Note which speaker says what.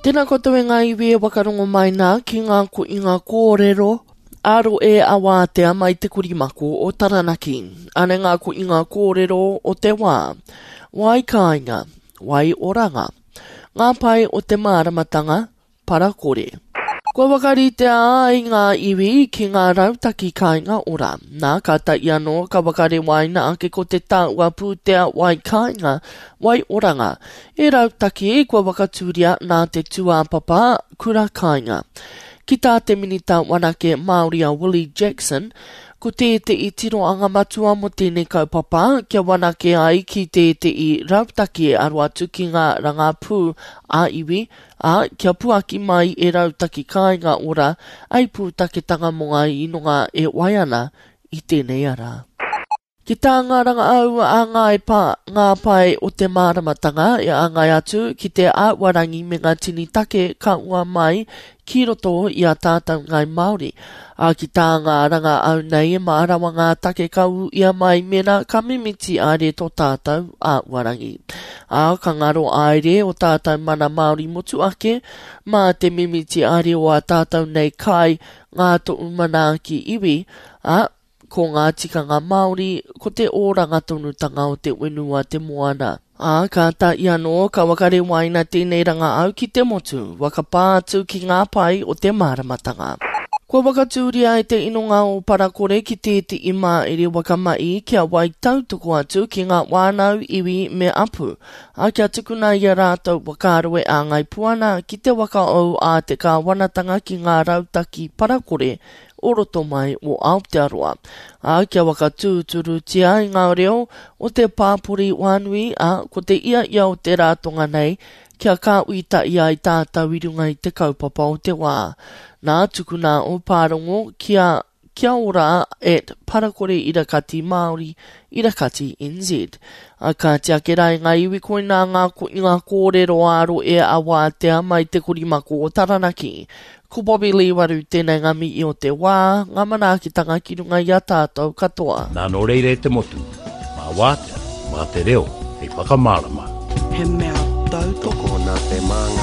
Speaker 1: Tēnā koutou e ngā iwi e wakarongo mai nā ki ngā koinga kōrero ā-roe a Wātea mai te korimako o Taranaki. Anei ngā koinga kōrero o te wā. Wai kāinga, wai oranga. Ngā pae o te māramatanga, para kore. Kua whakaritea ai ngā iwi ki ngā rautaki kāinga ora. Nā, kātahi anō ka whakarewaina ake ko te tāua pūtea wai kāinga, wai oranga, e rautaki kua whakatūria nā te tūāpapa kura kāinga. Ki tā te Minita Wanake Māori a Willie Jackson, ko tētehi tirohanga matua mō tēnei kaupapa kia wanake ai ki tētehi rautaki e aro atu ki ngā rangapū ā-iwi, ā, kia puaki mai e Rautaki Kāinga Ora ai pūtaketanga mō ngā inonga e wai ana i tēnei ara. Ki tā ngā rangaau a Ngāi Pa, ngā pae o te māramatanga e āngai atu ki te āhuarangi me ngā tini take ka ua mai ki roto i a tātou Ngāi Māori, ā, ki tā ngā rangaau nei e mārama ngā take ka ūia mai mēnā ka mimiti āere tō tātou āhuarangi. Ā, ka ngaro āere o tātou mana Māori motuake mā te mimiti āere o ā tātou nei kai, ngā tohu manaaki iwi, ā, Ko ngā tikanga Māori, ko te oranga tonutanga o te whenua te moana. Ā, kātahi anō ka whakarewaina tēnei rangaau ki te motu, whakapā atu ki ngā pae o te māramatanga. Kua whakatūria e te inonga o Parakore ki tētehi māere waka mahi kia wai tautoko atu ki ngā whānau, iwi me apu, ā, kia tukuna i a rātou whakaaro e āngai pū ana ki te whakaou a te kāwanatanga ki ngā rautaki parakore o roto mai o Aotearoa, ā, kia whakatūturutia i ngā reo o te pāpori whānui, ā, ko te ia ia o te rātonga nei, kia kāuitaia ai tātou i runga i te kaupapa o te wā. Nā, tukuna ō pārongo ki a Kia ora at Parakore Irakati Māori, Irakati NZ. Ā, kāti ake rā e ngā iwi koinā ngā koinga kōrero ā-rohe a Wātea mai te korimako o Taranaki. Ko Bobby Lee Waru tēnei ngā mihi o te wā, ngā manaakitanga ki runga i a tātou katoa.
Speaker 2: Nā nō reira e te motu, mā Wātea, mā te reo hei whakamārama.
Speaker 3: He mea tautoko nā te māngai.